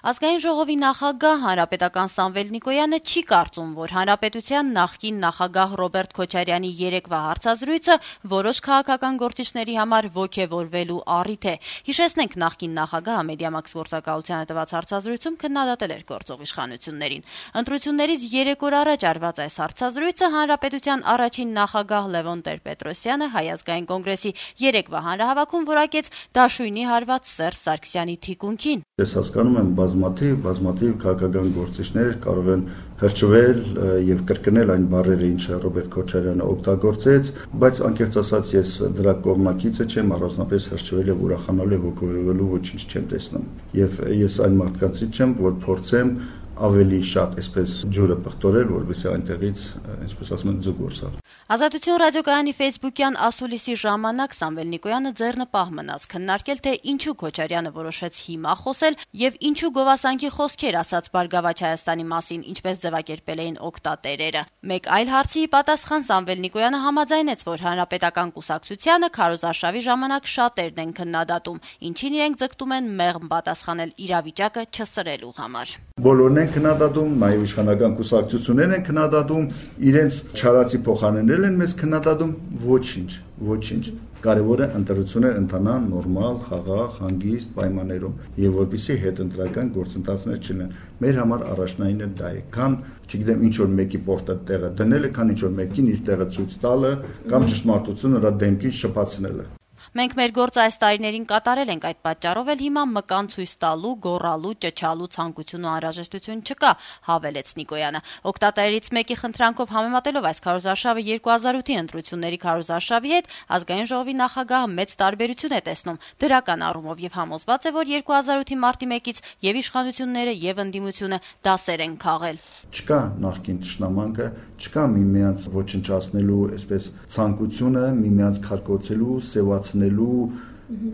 Ազգային ժողովի նախագահ հանրապետական Սամվել Նիկոյանը չի կարծում, որ հանրապետության նախկին նախագահ Ռոբերտ Քոչարյանի երեկվա հարցազրույցը որոշ քաղաքական գործիչների համար ոգևորվելու առիթ է։ Հիշեցնենք, նախկին նախագահը Մեդիամաքս գործակալությանը տված հարցազրույցում քննադատել էր գործող իշխանություններին։ Ընտրություններից 3 օր առաջ արված այս հարցազրույցը հանրապետության առաջին նախագահ Լևոն Տեր-Պետրոսյանը Հայ ազգային կոնգրեսի երեկվա հանրահավաքում որակեց դաշույնի հարված Սերժ Սարգսյանի թիկունքին։ Ես հասկանում եմ, բազմաթիվ քաղաքական գործիչներ կարող են հրճվել եւ կրկնել այն բառերը, ինչը Ռոբերտ Քոչարյանը օգտագործեց, բայց անկեղծ ասած ես դրա կողմնակիցը չեմ, առանձնապես հրճվել եւ ուրախանալու եւ ոգևորվելու ոչինչ չեմ տեսնում։ Եվ ես այն մարդկանցից չեմ, որ փորձեմ ավելի շատ այսպես ջուրը պղտորել, որովհետեւ այնտեղից, այսպես ասում են, ձգ որսալ։ Ազատություն ռադիոկայանի Facebook-յան ասուլիսի ժամանակ Սամվել Նիկոյանը ձեռնպահ մնաց քննարկել, թե ինչու Քոչարյանը որոշեց հիմա խոսել եւ ինչու գովասանքի խոսքեր ասաց Բարգավաճ Հայաստանի մասին, ինչպես ձևակերպել էին օգտատերերը։ Մեկ այլ հարցի պատասխան Սամվել Նիկոյանը համաձայնեց, որ հանրապետական կուսակցությանը քարոզարշավի ժամանակ շատերն են քննադատում, ինչին իրենք ձգտում են մեղմ պատասխանել իրավիճակը չսրելու համար։ Բոլորն են քննադատում, նաև իշխանական կուսակցություններն են քննադատում, իրենց չարացի փոխանցել են մեզ քննադատում, ոչինչ։ Կարևորը ընտրություններ ընթանան նորմալ, խաղաղ, հանգիստ պայմաններում, եւ որպեսզի հետընտրական գործընթացներ չլինեն։ Մեր համար առաջնայինը դա է, քան, չգիտեմ, ինչ որ մեկի պորտը տեղը դնելը, քան ինչ որ մեկին իր տեղը ցույց տալը կամ ճշտմարտությունը նրա դեմքին շփացնելը։ Մենք մեր գործը այս տարիներին կատարել ենք, այդ պատճառով էլ հիմա մկան ցույց տալու, գոռալու, ճչալու ցանկություն ու անհրաժեշտություն չկա, հավելեց Նիկոյանը։ Օգտատերերից մեկի խնդրանքով համեմատելով այս քարոզարշավը 2008-ի ընտրությունների քարոզարշավի հետ, ազգային ժողովի նախագահը մեծ տարբերություն է տեսնում դրական առումով եւ համոզված է, որ 2008-ի մարտի 1-ից եւ իշխանությունները եւ ընդդիմությունը դասեր են քաղել։ Չկա նախկին ճշնամանքը, չկա միմյանց ոչնչացնելու, այսպես ցանկությունը միմյանց քարկոծելու, սևացնելու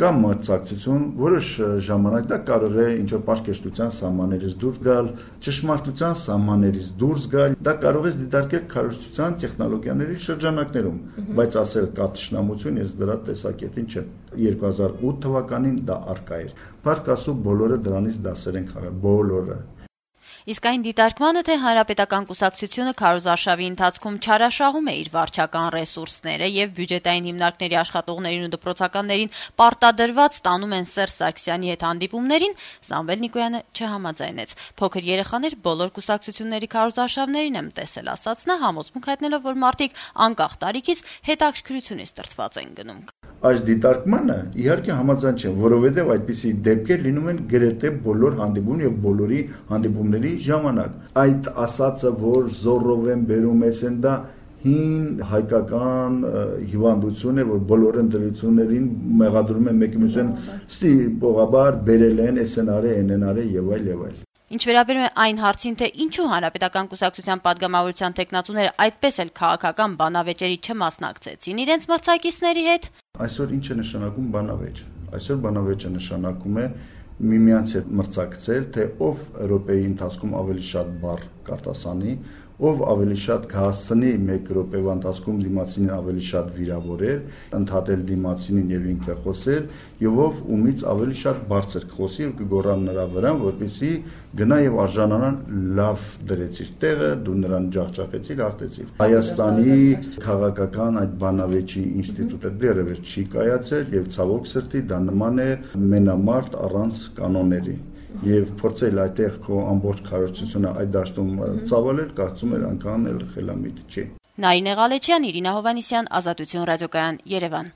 կամ մրցակցություն, որոշ ժամանակ դա կարող է ինչ-որ պաշտպանության սահմաններից դուրս գալ, ճշմարտության սահմաններից դուրս գալ, դա կարող է դիտարկել քարոզչության տեխնոլոգիաների շրջանակներում, բայց ասել կա ճշնամություն, ես դրա տեսակետին չեմ։ 2008 թվականին դա արկա էր։ Փառք Աստծո, բոլորը դրանից դասեր են քաղել, բոլորը։ Իսկ այն դիտարկմանը, թե հանրապետական կուսակցությունը քարոզարշավի ընթացքում չարաշահում է իր վարչական ռեսուրսները եւ բյուջետային հիմնարկների աշխատողներին ու դպրոցականներին պարտադրված տանում են Սերժ Սարգսյանի հետ հանդիպումներին, Սամվել Նիկոյանը չհամաձայնեց։ Փոքր երեխաներ բոլոր կուսակցությունների քարոզարշավներին եմ տեսել, ասաց նա, համոզմունք հայտնելով, որ մարդիկ անկախ տարիքից հետաքրքրությունից տրտված են գնում։ Այս դիտարկմանը իհարկե համաձայն չեմ, որովհետև այդպիսի դեպքեր լինում են գրեթե բոլոր հանդիպում եւ բոլորի հանդիպումների ժամանակ։ Այդ ասածը, որ զորով են բերում են, դա հին հայկական հիվանդություն է, որ բոլոր ընտրություններին մեղադրում են մեկի մյուսին, ստի պողաբար բերել են, էսենարը, ենենարը եւ այլ։ Ինչ վերաբերում է այն հարցին, թե ինչու հանրապետական կուսակցության падգամավորության տեխնացուները այդպես էլ քաղաքական բանավեճերի չմասնակցեցին իրենց մրցակիցների հետ։ Այսօր ինչ է նշանակում բանավեճ։ Այսօր բանավեճը նշանակում է միմյանց հետ մրցակցել, թե ով րոպեի ընթացքում ավելի շատ բառ կարտասանի, ով ավելի շատ կհասցնի 1 րոպեվա ընթացքում դիմացինին ավելի շատ վիրավորել, ընդհատել դիմացինին եւ ինքը խոսել, եւ ով ումից ավելի շատ բարձր կխոսի եւ կգոռան նրա վրա, որպեսզի գնա եւ արժանանան լավ դրեցիր տեղը, դու նրան ջախջախեցիր, հաղթեցիր։ Հայաստանի քաղաքական այդ բանավեճի ինստիտուտը դեռևս չի կայացել եւ ցավոք սրտի դա նման է մենամարտ առանց կանոնների։ Եվ փորձել այդտեղ քո ամբողջ քարոզչությունը այդ դաշտում ծավալել, կարծում եմ անգամ էլ խելամիտ չի։ Նարինե Ղալեչյան, Իրինա Հովհաննիսյան, Ազատություն ռադիոկայան, Երևան։